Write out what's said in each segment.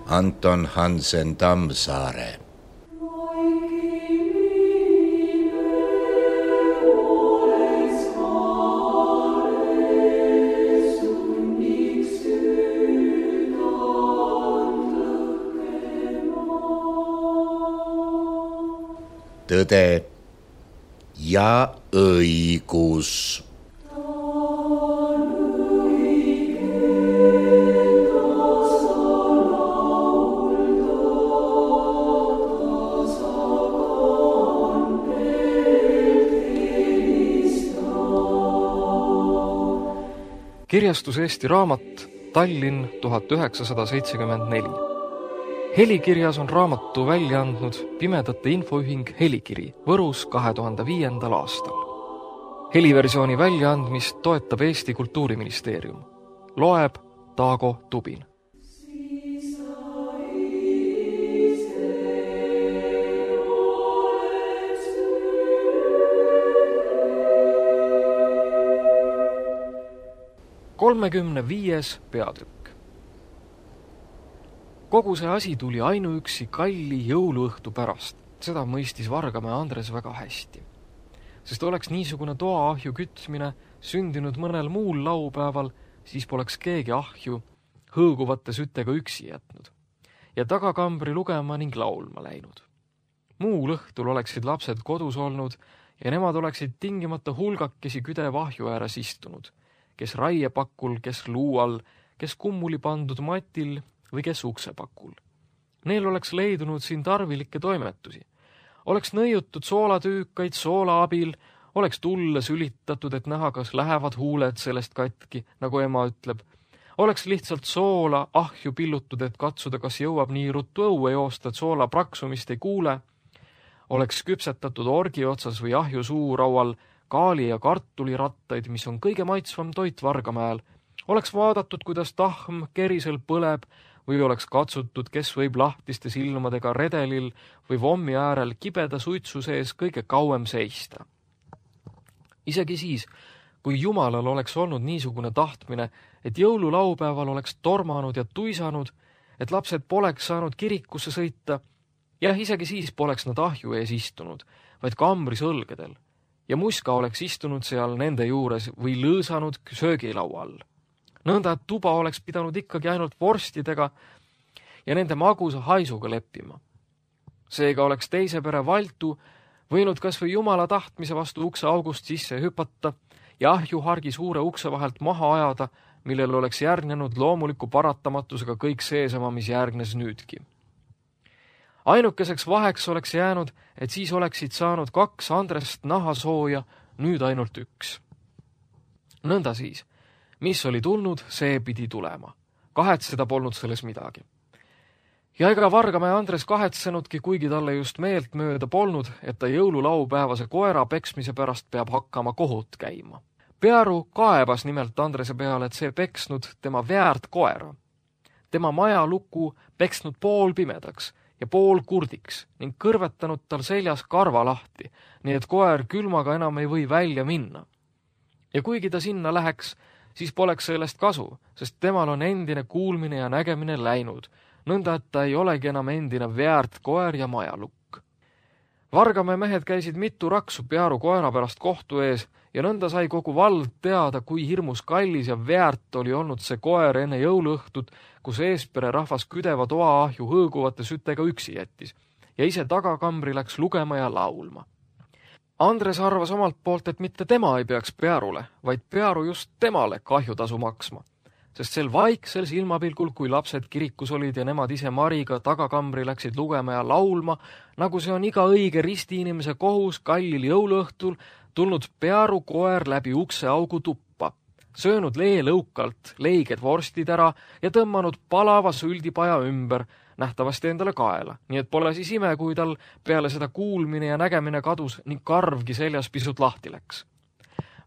Anton Hansen Tammsaare. Tõde ja õigus. Kirjastus Eesti Raamat, Tallinn 1974. Helikirjas on raamatu välja andnud Pimedate Infoühing Helikiri Võrus 2005. aastal. Heliversiooni väljaandmist toetab Eesti Kultuuriministeerium. Loeb Taago Tubin. Kolmekümne peatükk. Kogu see asi tuli ainuüksi kalli jõuluõhtu pärast. Seda mõistis Vargamäe Andres väga hästi. Sest oleks niisugune toaahju kütmine sündinud mõnel muul laupäeval, siis poleks keegi ahju hõõguvate sütega üksi jätnud ja tagakambri lugema ning laulma läinud. Muul õhtul oleksid lapsed kodus olnud ja nemad oleksid tingimata hulgakesi küdeva ahju ääres istunud, kes raiepakul, kes luual, kes kummuli pandud matil või kes uksepakul. Neil oleks leidunud siin tarvilikke toimetusi. Oleks nõiutud soolatüükaid soola abil, oleks tulle sülitatud, et näha, kas lähevad huuled sellest katki, nagu ema ütleb. Oleks lihtsalt soola ahju pillutud, et katsuda, kas jõuab nii ruttu õue joosta, et soola praksumist ei kuule. Oleks küpsetatud orgi otsas või ahju suuraual kaali ja kartulirattaid, mis on kõige maitsvam toit Vargamäel. Oleks vaadatud, kuidas tahm kerisel põleb või oleks katsutud, kes võib lahtiste silmadega redelil või vommi äärel kibeda suitsu sees kõige kauem seista. Isegi siis, kui Jumalal oleks olnud niisugune tahtmine, et jõululaupäeval oleks tormanud ja tuisanud, et lapsed poleks saanud kirikusse sõita, ja isegi siis poleks nad ahju ees istunud, vaid kambris õlgedel. Ja muska oleks istunud seal nende juures või lõõsanud söögilaua all. Nõnda, et tuba oleks pidanud ikkagi ainult vorstidega ja nende magusa haisuga leppima. Seega oleks teise pere Valtu võinud kas või Jumala tahtmise vastu ukse august sisse hüpata ja ahjuhargi suure ukse vahelt maha ajada, millel oleks järgnenud loomuliku paratamatusega kõik seesama, mis järgnes nüüdki. Ainukeseks vaheks oleks jäänud, et siis oleksid saanud 2 Andrest nahasooja, nüüd ainult 1. Nõnda siis, mis oli tulnud, see pidi tulema. Kahetseda polnud selles midagi. Ja ega Vargamäe Andres kahetsenudki, kuigi talle just meelt mööda polnud, et ta jõululaupäevase koera peksmise pärast peab hakkama kohut käima. Pearu kaebas nimelt Andrese peale, et see peksnud tema väärt koera. Tema maja luku peksnud pool pimedaks ja pool kurdiks ning kõrvetanud tal seljas karva lahti, nii et koer külmaga enam ei või välja minna. Ja kuigi ta sinna läheks, siis poleks sellest kasu, sest temal on endine kuulmine ja nägemine läinud, nõnda et ta ei olegi enam endine väärt koer ja majalukk. Vargamäe mehed käisid mitu raksu Pearu koera pärast kohtu ees ja nõnda sai kogu vald teada, kui hirmus kallis ja väärt oli olnud see koer enne jõuluõhtut, kus eespere rahvas küdeva toaahju hõõguvate sütega üksi jättis ja ise tagakambri läks lugema ja laulma. Andres arvas omalt poolt, et mitte tema ei peaks Pearule, vaid Pearu just temale kahjutasu maksma, sest sel vaiksel silmapilgul, kui lapsed kirikus olid ja nemad ise Mariga tagakambri läksid lugema ja laulma, nagu see on iga õige ristiinimese kohus kallil jõuluõhtul, tulnud Pearu koer läbi ukseaugu tuppa, söönud leelõukalt leiged vorstid ära ja tõmmanud palava süldipaja ümber, nähtavasti endale kaela, nii et pole siis ime, kui tal peale seda kuulmine ja nägemine kadus ning karvgi seljas pisut lahti läks.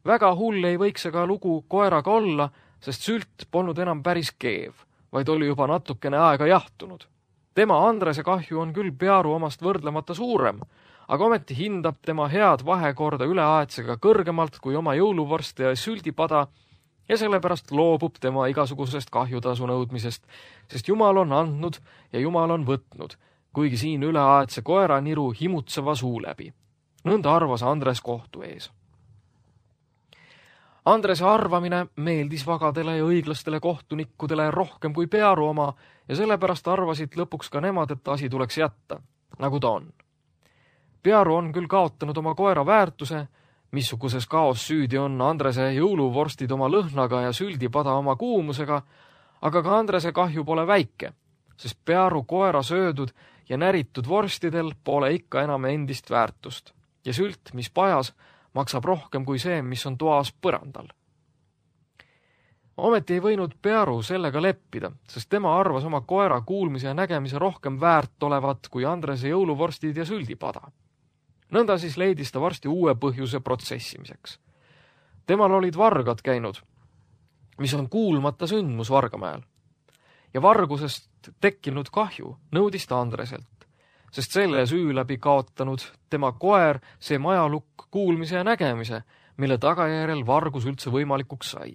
Väga hull ei võiks aga lugu koeraga olla, sest sült polnud enam päris keev, vaid oli juba natukene aega jahtunud. Tema Andrese kahju on küll Pearu omast võrdlemata suurem, aga ometi hindab tema head vahekorda üleaetsega kõrgemalt kui oma jõuluvorste ja süldipada ja sellepärast loobub tema igasugusest kahjutasu nõudmisest, sest Jumal on andnud ja Jumal on võtnud, kuigi siin üleaedse koera niru himutseva suu läbi. Nõnda arvas Andres kohtu ees. Andrese arvamine meeldis vagadele ja õiglastele kohtunikudele rohkem kui Pearu oma ja sellepärast arvasid lõpuks ka nemad, et asi tuleks jätta, nagu ta on. Pearu on küll kaotanud oma koera väärtuse, missuguses kaos süüdi on Andrese jõuluvorstid oma lõhnaga ja süldipada oma kuumusega, aga ka Andrese kahju pole väike, sest Pearu koera söödud ja näritud vorstidel pole ikka enam endist väärtust ja sült, mis pajas, maksab rohkem kui see, mis on toas põrandal. Ometi ei võinud Pearu sellega leppida, sest tema arvas oma koera kuulmise ja nägemise rohkem väärt olevat kui Andrese jõuluvorstid ja süldipada. Nõnda siis leidis ta varsti uue põhjuse protsessimiseks. Temal olid vargad käinud, mis on kuulmata sündmus Vargamäel. Ja vargusest tekkinud kahju nõudis ta Andreselt, sest selle süü läbi kaotanud tema koer see majalukk kuulmise ja nägemise, mille tagajärjel vargus üldse võimalikuks sai.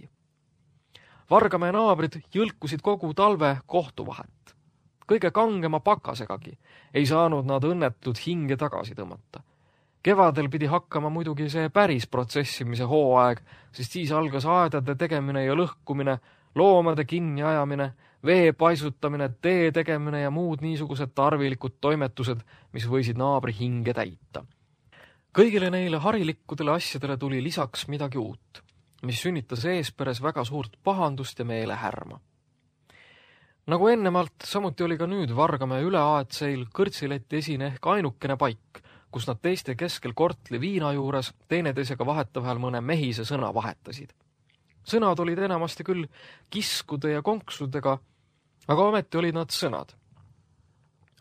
Vargamäe naabrid jõlkusid kogu talve kohtuvahet. Kõige kangema pakasegagi ei saanud nad õnnetud hinge tagasi tõmmata. Kevadel pidi hakkama muidugi see päris protsessimise hooaeg, sest siis algas aedade tegemine ja lõhkumine, loomade kinniajamine, vee paisutamine, tee tegemine ja muud niisugused tarvilikud toimetused, mis võisid naabri hinge täita. Kõigile neile harilikudele asjadele tuli lisaks midagi uut, mis sünnitas eesperes väga suurt pahandust ja meelehärma. Nagu ennemalt, samuti oli ka nüüd Vargamäe üleaedseil kõrtsileti esine ehk ainukene paik, kus nad teiste keskel kortli viina juures teineteisega vahetavahel mõne mehise sõna vahetasid. Sõnad olid enamasti küll kiskude ja konksudega, aga ometi olid nad sõnad.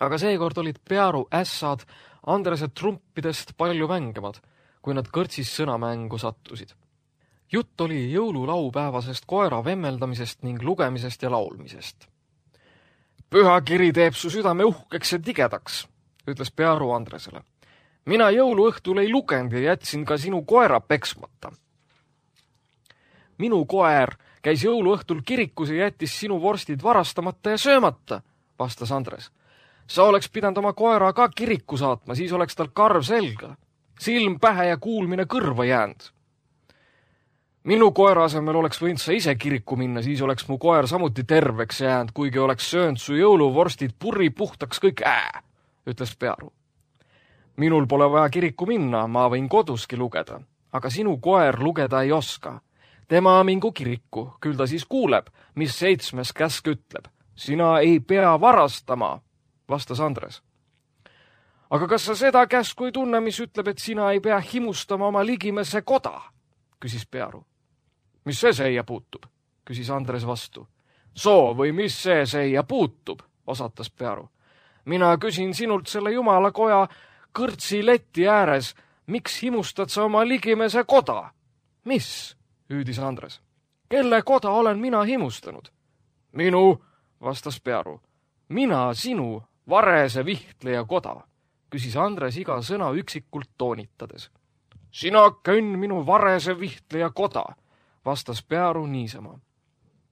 Aga seekord olid Pearu ässad Andrese trumpidest palju vängemad, kui nad kõrtsis sõnamängu sattusid. Jutt oli jõululaupäevasest koera vemmeldamisest ning lugemisest ja laulmisest. Püha kiri teeb su südame uhkeks ja tigedaks, ütles Pearu Andresele. Mina jõuluõhtul ei lugenud ja jätsin ka sinu koera peksmata. Minu koer käis jõuluõhtul kirikus ja jättis sinu vorstid varastamata ja söömata, vastas Andres. Sa oleks pidanud oma koera ka kiriku saatma, siis oleks tal karv selga, silm pähe ja kuulmine kõrva jäänud. Minu koera asemel oleks võinud sa ise kiriku minna, siis oleks mu koer samuti terveks jäänud, kuigi oleks söönud su jõuluvorstid purri puhtaks kõik ütles Pearu. Minul pole vaja kiriku minna, ma võin koduski lugeda, aga sinu koer lugeda ei oska. Tema mingu kiriku, küll ta siis kuuleb, mis 7. käsk ütleb. Sina ei pea varastama, vastas Andres. Aga kas sa seda käsku ei tunne, mis ütleb, et sina ei pea himustama oma ligimese koda, küsis Pearu. Mis see seia puutub, küsis Andres vastu. Soo või mis see seia puutub, osatas Pearu. Mina küsin sinult selle jumala koja kõrtsi leti ääres, miks himustad sa oma ligimese koda? Mis? Hüüdis Andres. Kelle koda olen mina himustanud? Minu, vastas Pearu. Mina sinu varese vihtleja koda, küsis Andres iga sõna üksikult toonitades. Sina könn minu varese vihtleja koda, vastas Pearu niisama.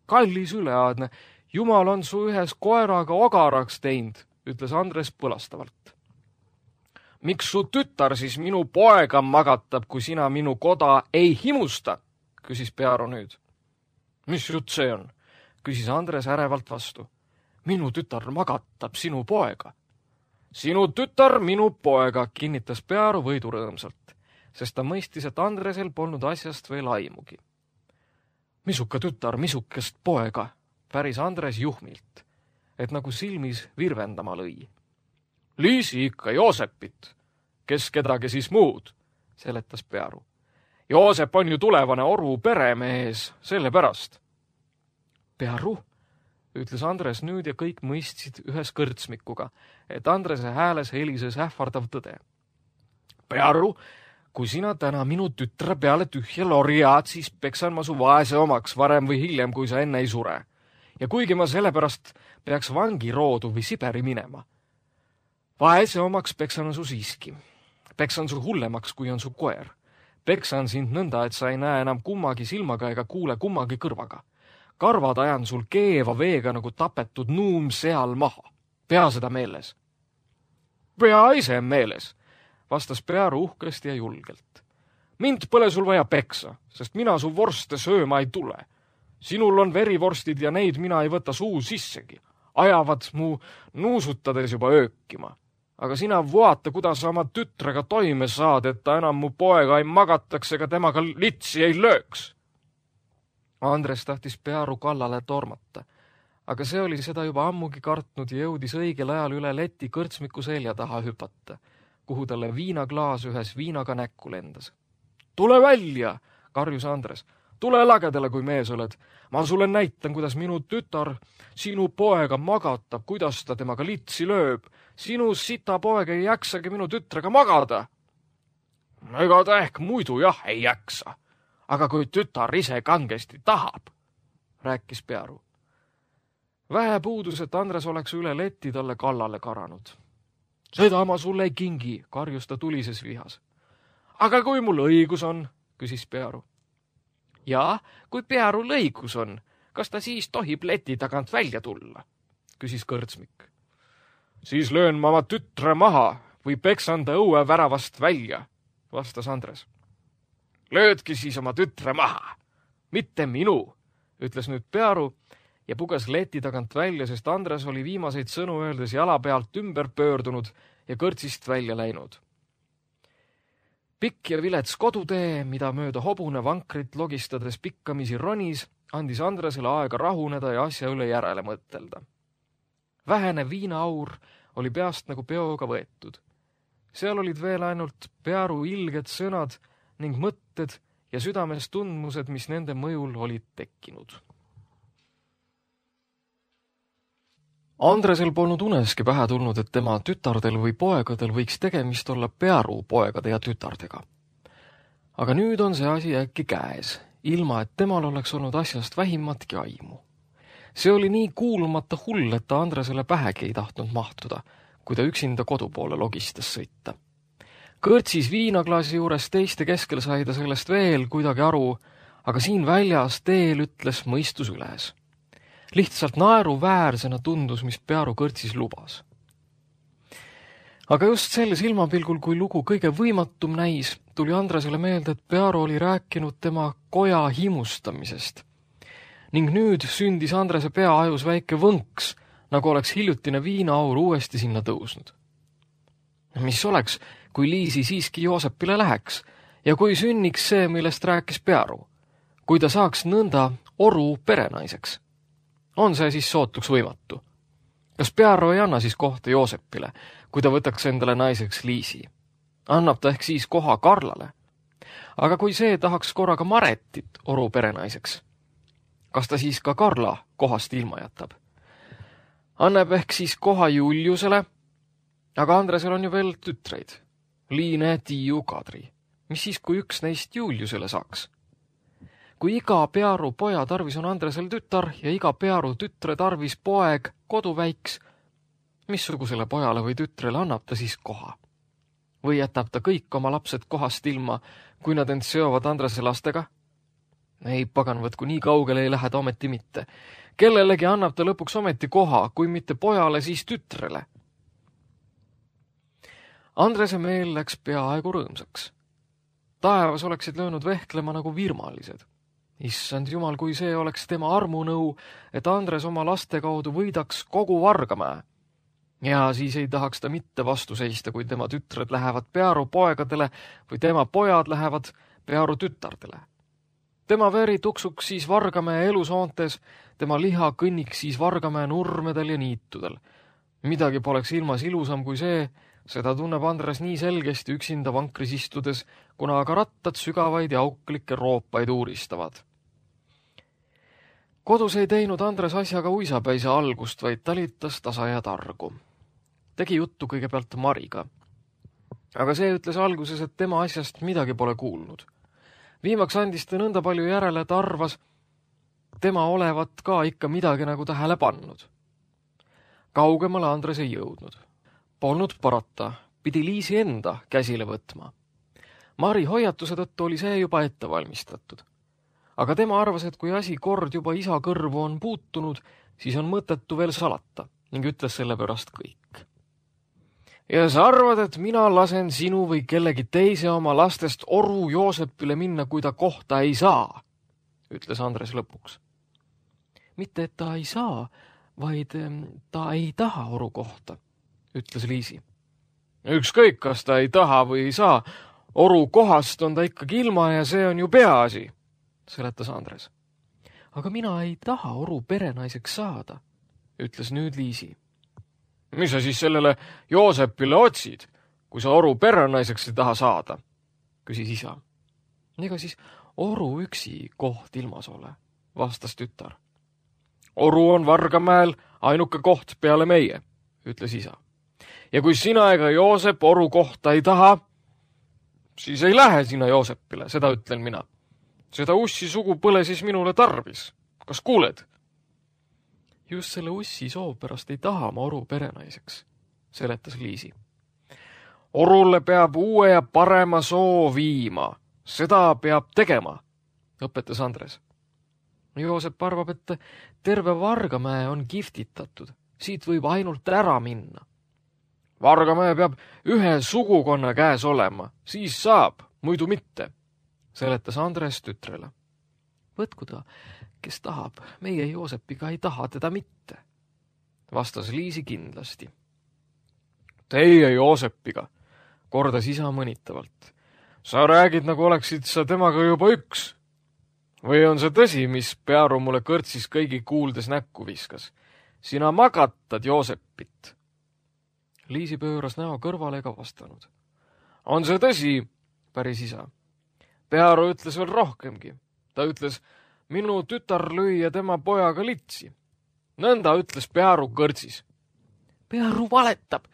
Kallis üleaadne, Jumal on su ühes koeraga ogaraks teinud, ütles Andres põlastavalt. Miks su tütar siis minu poega magatab, kui sina minu koda ei himusta? Küsis Pearu nüüd. Mis jutt see on? Küsis Andres ärevalt vastu. Minu tütar magatab sinu poega. Sinu tütar minu poega, kinnitas Pearu võidurõõmsalt, sest ta mõistis, et Andresel polnud asjast veel aimugi. Misuka tütar, misukest poega, päris Andres juhmilt, et nagu silmis virvendama lõi. Liisi ikka Joosepit, kes kedagi siis muud, seletas Pearu. Joosep on ju tulevane Oru peremees, sellepärast. Pearu, ütles Andres nüüd ja kõik mõistsid ühes kõrtsmikuga, et Andrese hääles helises ähvardav tõde. Pearu, kui sina täna minu tütre peale tühja lorjaad, siis peksan ma su vaese omaks varem või hiljem, kui sa enne ei sure. Ja kuigi ma sellepärast peaks vangiroodu või Siberi minema. Vaese omaks peksan su siiski. Peksan su hullemaks, kui on su koer. Peksan sind nõnda, et sa ei näe enam kummagi silmaga ega kuule kummagi kõrvaga. Karvad ajan sul keeva veega nagu tapetud nuum seal maha. Pea seda meeles. Pea ise meeles, vastas Pearu uhkesti ja julgelt. Mind pole sul vaja peksa, sest mina su vorste sööma ei tule. Sinul on verivorstid ja neid mina ei võta suu sissegi. Ajavad mu nuusutades juba öökima. Aga sina vaata, kuidas sa oma tütrega toime saad, et ta enam mu poega ei magataks ega temaga litsi ei lööks. Andres tahtis Pearu kallale tormata, aga see oli seda juba ammugi kartnud ja jõudis õigel ajal üle leti kõrtsmiku selja taha hüpata, kuhu talle viinaklaas ühes viinaga näkku lendas. Tule välja, karjus Andres. Tule lagedale, kui mees oled. Ma sulle näitan, kuidas minu tütar sinu poega magatab, kuidas ta temaga litsi lööb. Sinu sita poeg ei jaksagi minu tütrega magada. Ega ta ehk muidu jah ei jaksa. Aga kui tütar ise kangesti tahab, rääkis Pearu. Vähe puudus, et Andres oleks üle leti talle kallale karanud. Seda ma sulle ei kingi, karjus ta tulises vihas. Aga kui mul õigus on, küsis Pearu. Ja, kui Pearul õigus on, kas ta siis tohib leti tagant välja tulla, küsis kõrtsmik. Siis löön ma oma tütre maha või peksan ta õue väravast välja, vastas Andres. Löödki siis oma tütre maha, mitte minu, ütles nüüd Pearu ja puges leti tagant välja, sest Andres oli viimaseid sõnu öeldes jala pealt ümber pöördunud ja kõrtsist välja läinud. Pikk ja vilets kodutee, mida mööda hobune vankrit logistades pikkamisi ronis, andis Andresele aega rahuneda ja asja üle järele mõtelda. Vähene viinaaur oli peast nagu peoga võetud. Seal olid veel ainult Pearu ilged sõnad ning mõtted ja südames tundmused, mis nende mõjul olid tekkinud. Andresel polnud uneski pähe tulnud, et tema tütardel või poegadel võiks tegemist olla Pearu poegade ja tütardega. Aga nüüd on see asi äkki käes, ilma et temal oleks olnud asjast vähimatki aimu. See oli nii kuulmata hull, et ta Andresele pähegi ei tahtnud mahtuda, kui ta üksinda kodu poole logistas sõita. Kõrtsis viinaklaasi juures teiste keskel sai ta sellest veel kuidagi aru, aga siin väljas teel ütles mõistus üles. Lihtsalt naeruväärsena tundus, mis Pearu kõrtsis lubas. Aga just selle silmapilgul, kui lugu kõige võimatum näis, tuli Andresele meelde, et Pearu oli rääkinud tema koja himustamisest. Ning nüüd sündis Andrese peaajus väike võnks, nagu oleks hiljutine viinaaur uuesti sinna tõusnud. Mis oleks, kui Liisi siiski Joosepile läheks ja kui sünniks see, millest rääkis Pearu, kui ta saaks nõnda oru perenaiseks? On see siis sootuks võimatu? Kas Pearu ei anna siis kohta Joosepile, kui ta võtaks endale naiseks Liisi? Annab ta ehk siis koha Karlale? Aga kui see tahaks korraga Maretit oru perenaiseks, kas ta siis ka Karla kohast ilma jätab? Annab ehk siis koha Juliusele, aga Andresel on ju veel tütreid, Liine, Tiiu, Kadri. Mis siis, kui üks neist Juliusele saaks? Kui iga Pearu poja tarvis on Andresel tütar ja iga Pearu tütre tarvis poeg koduväiks, missugusele pojale või tütrele annab ta siis koha? Või jätab ta kõik oma lapsed kohast ilma, kui nad end seovad Andrese lastega? Ei, pagan võtku, nii kaugele ei lähe ta ometi mitte. Kellelegi annab ta lõpuks ometi koha, kui mitte pojale, siis tütrele. Andrese meel läks peaaegu rõõmsaks. Taevas oleksid löönud vehklema nagu virmalised. Issand jumal, kui see oleks tema armunõu, et Andres oma laste kaudu võidaks kogu Vargamäe. Ja siis ei tahaks ta mitte vastu seista, kui tema tütred lähevad Pearu poegadele või tema pojad lähevad Pearu tütardele. Tema veri tuksuks siis Vargamäe elusoontes, tema liha kõnniks siis Vargamäe nurmedel ja niitudel. Midagi poleks ilmas ilusam kui see, seda tunneb Andres nii selgesti üksinda vankris istudes, kuna aga rattad sügavaid ja auklikke roopaid uuristavad. Kodus ei teinud Andres asjaga uisapäise algust, vaid talitas tasa ja targu. Tegi juttu kõigepealt Mariga. Aga see ütles alguses, et tema asjast midagi pole kuulnud. Viimaks andis ta nõnda palju järele, et arvas, tema olevat ka ikka midagi nagu tähele pannud. Kaugemale Andres ei jõudnud. Polnud parata, pidi Liisi enda käsile võtma. Mari hoiatuse tõttu oli see juba ette valmistatud. Aga tema arvas, et kui asi kord juba isa kõrvu on puutunud, siis on mõttetu veel salata ning ütles selle pärast kõik. Ja sa arvad, et mina lasen sinu või kellegi teise oma lastest oru Joosepile minna, kui ta kohta ei saa, ütles Andres lõpuks. Mitte, et ta ei saa, vaid ta ei taha oru kohta, ütles Liisi. Ükskõik, kas ta ei taha või ei saa, oru kohast on ta ikkagi ilma ja see on ju peaasi, seletas Andres. Aga mina ei taha oru perenaiseks saada, ütles nüüd Liisi. Mis sa siis sellele Joosepile otsid, kui sa oru perenaiseks ei taha saada, küsis isa. Ega siis oru üksi koht ilmas ole, vastas tütar. Oru on Vargamäel ainuke koht peale meie, ütles isa. Ja kui sina ega Joosep oru kohta ei taha, siis ei lähe sina Joosepile, seda ütlen mina. Seda ussi sugu põle siis minule tarvis. Kas kuuled? Just selle ussi soov pärast ei taha ma oru perenaiseks, seletas Liisi. Orule peab uue ja parema soo viima. Seda peab tegema, õpetas Andres. Joosep arvab, et terve Vargamäe on giftitatud. Siit võib ainult ära minna. Vargamäe peab ühe sugukonna käes olema, siis saab, muidu mitte, seletas Andres tütrele. Võtku ta, kes tahab, meie Joosepiga ei taha teda mitte, vastas Liisi kindlasti. Teie Joosepiga, kordas isa mõnitavalt. Sa räägid, nagu oleksid sa temaga juba üks. Või on see tõsi, mis Pearu mulle kõrtsis kõigi kuuldes näkku viskas? Sina magatad Joosepit. Liisi pööras näo kõrvale ega vastanud. On see tõsi, päris isa. Pearu ütles veel rohkemgi. Ta ütles, minu tütar lõi ja tema pojaga litsi. Nõnda ütles Pearu kõrtsis. Pearu valetab,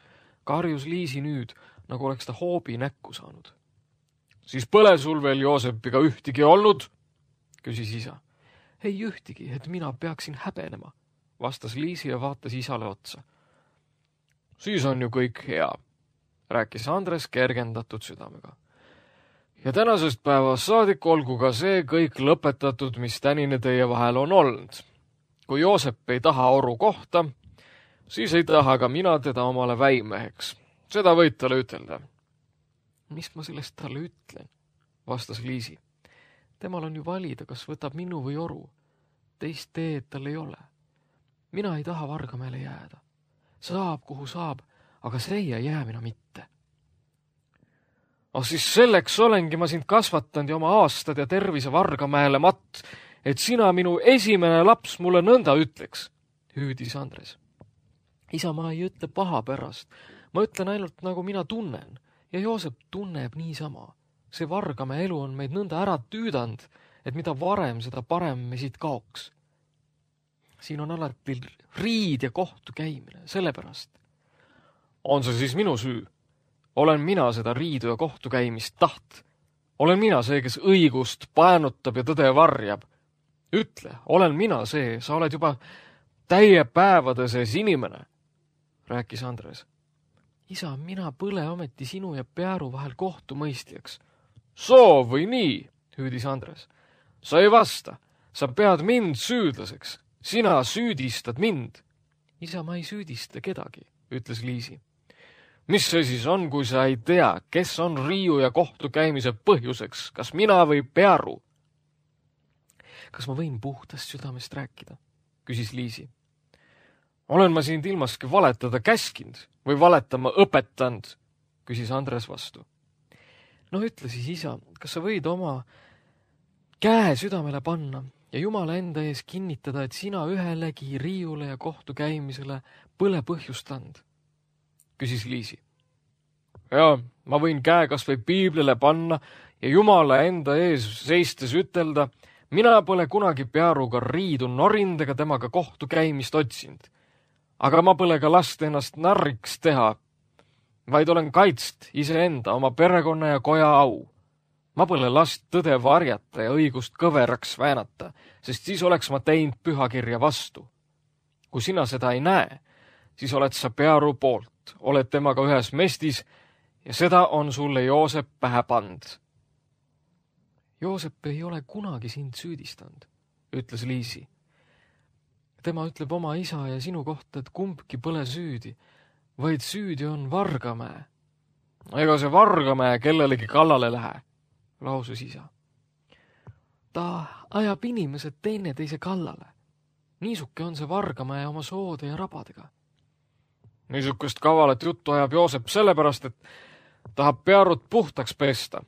karjus Liisi nüüd, nagu oleks ta hoobi näkku saanud. Siis põle sul veel Joosepiga ühtigi olnud? Küsis isa. Ei ühtigi, et mina peaksin häbenema, vastas Liisi ja vaatas isale otsa. Siis on ju kõik hea, rääkis Andres kergendatud südamega. Ja tänasest päevast saadik olgu ka see kõik lõpetatud, mis tänine teie vahel on olnud. Kui Joosep ei taha oru kohta, siis ei taha ka mina teda omale väimeheks. Seda võid talle ütelda. Mis ma sellest talle ütlen, vastas Liisi. Temal on ju valida, kas võtab minu või oru. Teist teed tal ei ole. Mina ei taha Vargamäele jääda. Saab, kuhu saab, aga see ei jää mina mitte. Siis selleks olengi ma sind kasvatanud ja oma aastad ja tervise Vargamäele matt, et sina minu esimene laps mulle nõnda ütleks, hüüdis Andres. Isa, ma ei ütle paha pärast. Ma ütlen ainult, nagu mina tunnen ja Joosep tunneb niisama. See Vargamäe elu on meid nõnda ära tüüdanud, et mida varem, seda parem me siit kaoks. Siin on alati riid ja kohtu käimine, sellepärast. On see siis minu süü? Olen mina seda riidu ja kohtu käimist taht? Olen mina see, kes õigust paenutab ja tõde varjab? Ütle, olen mina see, sa oled juba täie päevade sees inimene, rääkis Andres. Isa, mina põle ometi sinu ja Pearu vahel kohtumõistjaks. Soov või nii, hüüdis Andres. Sa ei vasta, sa pead mind süüdlaseks. Sina süüdistad mind. Isa, ma ei süüdista kedagi, ütles Liisi. Mis see siis on, kui sa ei tea, kes on riiu ja kohtu käimise põhjuseks, kas mina või Pearu? Kas ma võin puhtast südamest rääkida, küsis Liisi. Olen ma sind ilmaski valetada käskinud või valetama õpetanud, küsis Andres vastu. No ütle siis, isa, kas sa võid oma käe südamele panna ja Jumala enda ees kinnitada, et sina ühelegi riiule ja kohtu käimisele põle põhjust and, küsis Liisi. Ja, ma võin käe kas või piiblile panna ja Jumala enda ees seistes ütelda, mina pole kunagi Pearuga riidu norind ega temaga kohtu käimist otsinud. Aga ma pole ka last ennast narriks teha, vaid olen kaitst iseenda, oma perekonna ja koja au. Ma pole last tõde varjata ja õigust kõveraks väänata, sest siis oleks ma teinud pühakirja vastu. Kui sina seda ei näe, siis oled sa Pearu poolt, oled temaga ühes mestis ja seda on sulle Joosep pähe pand, Joosep ei ole kunagi sind süüdistanud, ütles Liisi. Tema ütleb oma isa ja sinu kohta, et kumbki pole süüdi, vaid süüdi on Vargamäe. Ega see Vargamäe kellelegi kallale lähe, lausus isa. Ta ajab inimesed teineteise kallale. Niisuke on see Vargamäe oma soode ja rabadega. Niisukest kavalat juttu ajab Joosep sellepärast, et tahab Pearut puhtaks pesta.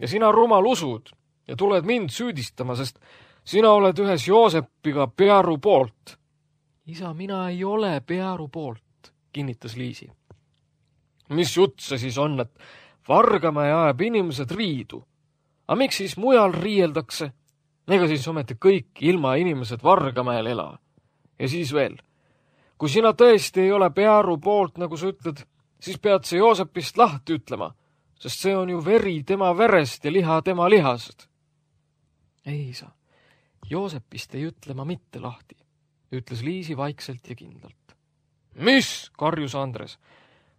Ja sina rumal usud ja tuled mind süüdistama, sest sina oled ühes Joosepiga Pearu poolt. Isa, mina ei ole Pearu poolt, kinnitas Liisi. Mis jutt see siis on, et Vargamäe ajab inimesed riidu? Aga miks siis mujal riieldakse? Ega siis ometi kõik ilma inimesed Vargamäel ela. Ja siis veel. Kui sina tõesti ei ole Pearu poolt, nagu sa ütled, siis pead see Joosepist lahti ütlema, sest see on ju veri tema verest ja liha tema lihast. Ei, isa, Joosepist ei ütle ma mitte lahti, ütles Liisi vaikselt ja kindlalt. Mis, karjus Andres,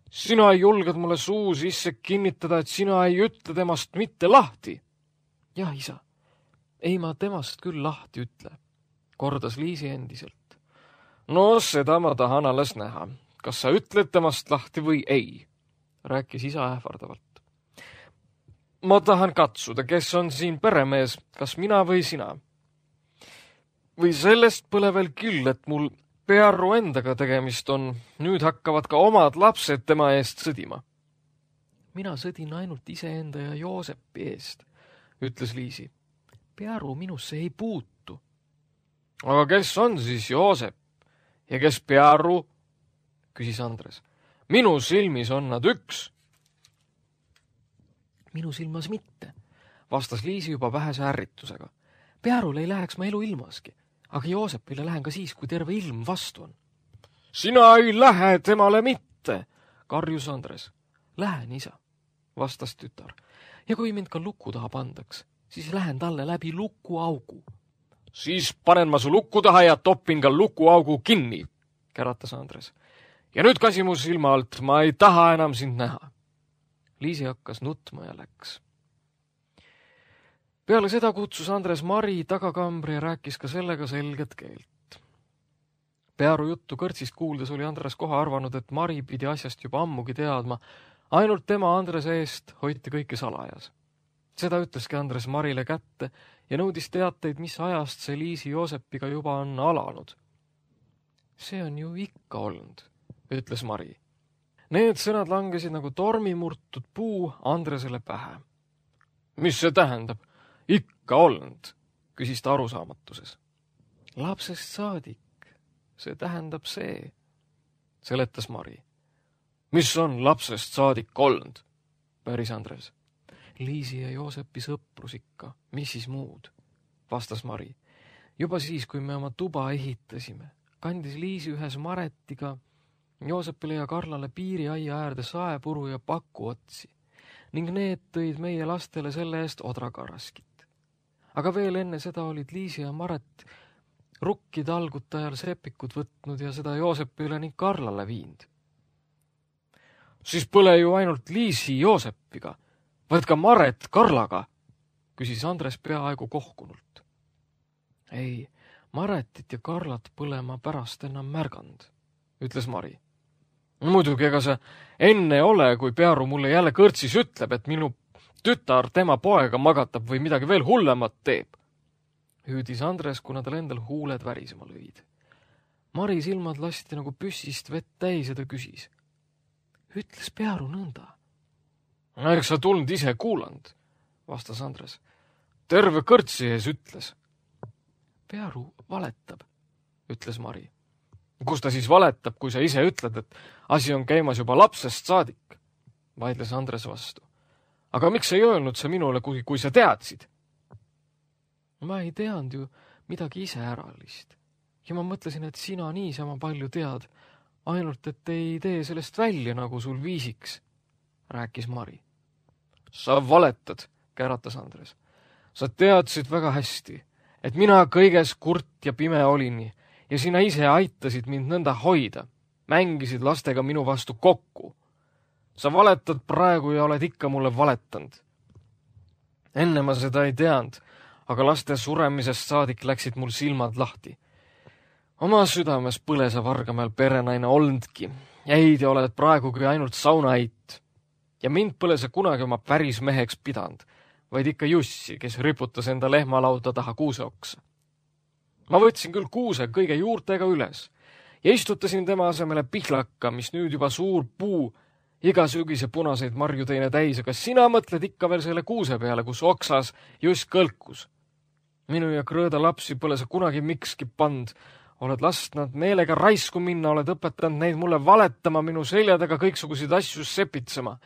sina ei julged mulle suu sisse kinnitada, et sina ei ütle temast mitte lahti? Jah, isa, ei ma temast küll lahti ütle, kordas Liisi endiselt. No, seda ma tahan alles näha. Kas sa ütled temast lahti või ei? Rääkis isa ähvardavalt. Ma tahan katsuda, kes on siin peremees, kas mina või sina. Või sellest pole veel küll, et mul Pearu endaga tegemist on. Nüüd hakkavad ka omad lapsed tema eest sõdima. Mina sõdin ainult iseenda ja Joosepi eest, ütles Liisi. Pearu minusse ei puutu. Aga kes on siis Joosep? Ja kes Pearu? Küsis Andres. Minu silmis on nad üks. Minu silmas mitte, vastas Liisi juba vähese ärritusega. Pearule ei läheks ma elu ilmaski, aga Joosepile lähen ka siis, kui terve ilm vastu on. Sina ei lähe temale mitte, karjus Andres. Lähen, isa, vastas tütar. Ja kui mind ka luku taha pandaks, siis lähen talle läbi lukuaugu. Siis panen ma su lukku taha ja topin ka lukuaugu kinni, käratas Andres. Ja nüüd kasi mu silma alt, ma ei taha enam sind näha. Liisi hakkas nutma ja läks. Peale seda kutsus Andres Mari tagakambri ja rääkis ka sellega selget keelt. Pearu juttu kõrtsist kuuldes oli Andres kohe arvanud, et Mari pidi asjast juba ammugi teadma, ainult tema Andrese eest hoiti kõike salajas. Seda ütleski Andres Marile kätte ja nõudis teateid, mis ajast see Liisi Joosepiga juba on alanud. See on ju ikka olnud, ütles Mari. Need sõnad langesid nagu tormimurtud puu Andresele pähe. Mis see tähendab? Ikka olnud, küsis ta arusaamatuses. Lapsest saadik, see tähendab see, seletas Mari. Mis on lapsest saadik olnud? Päris Andres. Liisi ja Joosepi sõprus ikka, mis siis muud, vastas Mari. Juba siis, kui me oma tuba ehitasime, kandis Liisi ühes Maretiga Joosepile ja Karlale piiriaia äärde saepuru ja pakuotsi ning need tõid meie lastele selle eest odrakaraskit. Aga veel enne seda olid Liisi ja Maret rukki talgutajal sepikut võtnud ja seda Joosepile ning Karlale viinud. Siis pole ju ainult Liisi Joosepiga, vaid ka Maret Karlaga, küsis Andres peaaegu kohkunult. Ei, Maretit ja Karlat pole ma pärast enam märganud, ütles Mari. Muidugi, ega see enne ole, kui Pearu mulle jälle kõrtsis ütleb, et minu tütar tema poega magatab või midagi veel hullemat teeb. Hüüdis Andres, kuna tal endal huuled värisema lõid. Mari silmad lasti nagu püssist vett täis ja ta küsis. Ütles Pearu nõnda? Eks sa tulnud ise kuulanud, vastas Andres. Terve kõrtsi ees ütles. Pearu valetab, ütles Mari. Kus ta siis valetab, kui sa ise ütled, et asi on käimas juba lapsest saadik, vaidles Andres vastu. Aga miks ei öelnud sa minule, kui sa teadsid? Ma ei teadnud ju midagi ise äralist. Ja ma mõtlesin, et sina niisama palju tead, ainult et ei tee sellest välja, nagu sul viisiks, rääkis Mari. Sa valetad, käratas Andres. Sa teadsid väga hästi, et mina kõiges kurt ja pime olin ja sina ise aitasid mind nõnda hoida, mängisid lastega minu vastu kokku. Sa valetad praegu ja oled ikka mulle valetanud. Enne ma seda ei teanud, aga laste suremisest saadik läksid mul silmad lahti. Oma südames põlesa Vargamäel perenaine olndki. Heidi oled praegugi ainult saunaheit. Ja mind põle sa kunagi oma päris meheks pidanud, vaid ikka Jussi, kes riputas enda lehmalauda taha kuuseoksa. Ma võtsin küll kuuse kõige juurtega üles ja istutasin tema asemele pihlaka, mis nüüd juba suur puu, iga sügise punaseid marju teine täis, aga sina mõtled ikka veel selle kuuse peale, kus oksas just kõlkus. Minu ja Krõõda lapsi pole sa kunagi mikski pand, oled lasknud meelega raisku minna, oled õpetanud neid mulle valetama, minu selja taga kõiksuguseid asju sepitsema.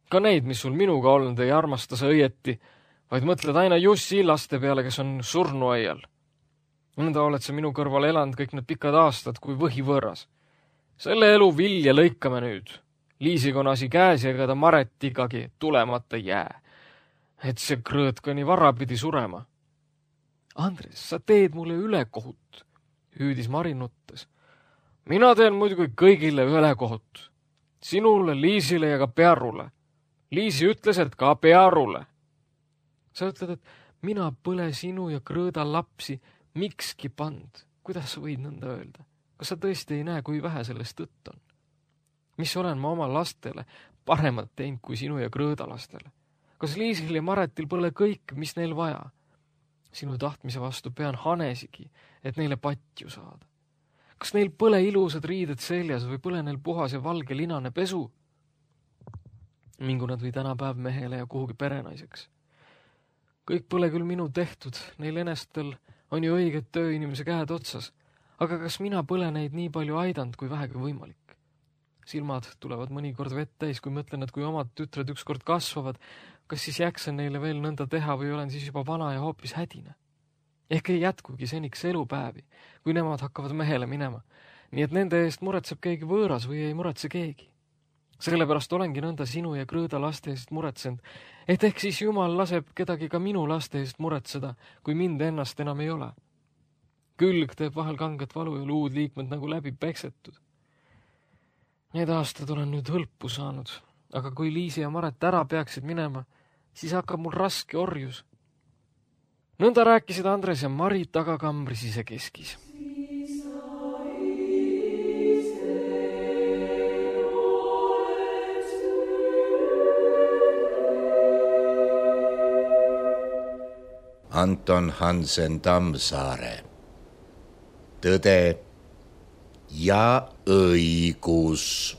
Ka neid, mis sul minuga olnud, ei armasta sa õieti, vaid mõtled aina Jussi laste peale, kes on surnuaial. Nõnda oled sa minu kõrval elanud kõik need pikad aastad kui võhivõõras. Selle elu vilja lõikame nüüd. Liisiga on asi käes ja ega ta Maretigagi tulemata jää. Et see Krõõd ka nii vara pidi surema. Andres, sa teed mulle ülekohut, hüüdis Mari nuttes. Mina teen muidugi kõigile ülekohut. Sinule, Liisile ja ka Pearule. Liisi ütles, et ka Pearule. Sa ütled, et mina põle sinu ja Krõõda lapsi mikski pand. Kuidas sa võid nõnda öelda? Kas sa tõesti ei näe, kui vähe sellest tõtt on? Mis olen ma oma lastele paremat teinud kui sinu ja Krõõda lastele? Kas Liisil ja Maretil pole kõik, mis neil vaja? Sinu tahtmise vastu pean hanesigi, et neile patju saada. Kas neil pole ilusad riided seljas või pole neil puhas ja valge linane pesu? Mingu nad või tänapäev mehele ja kuhugi perenaiseks. Kõik pole küll minu tehtud, neil enestel on ju õiged tööinimese käed otsas, aga kas mina pole neid nii palju aidanud, kui vähegi võimalik? Silmad tulevad mõnikord vett täis, kui mõtlen, et kui omad tütred ükskord kasvavad, kas siis jaksan neile veel nõnda teha või olen siis juba vana ja hoopis hädine? Ehk ei jätkugi seniks elupäevi, kui nemad hakkavad mehele minema, nii et nende eest muretseb keegi võõras või ei muretse keegi. Sellepärast olengi nõnda sinu ja Krõõda laste eest muretsenud, et ehk siis Jumal laseb kedagi ka minu laste eest muretseda, kui mind ennast enam ei ole. Külg teeb vahel kanget valu ja luud liikmed nagu läbi peksetud. Need aastad olen nüüd hõlpu saanud, aga kui Liisi ja Maret ära peaksid minema, siis hakkab mul raske orjus. Nõnda rääkisid Andres ja Mari tagakambri sisekeskis. Anton Hansen Tammsaare. Tõde ja õigus.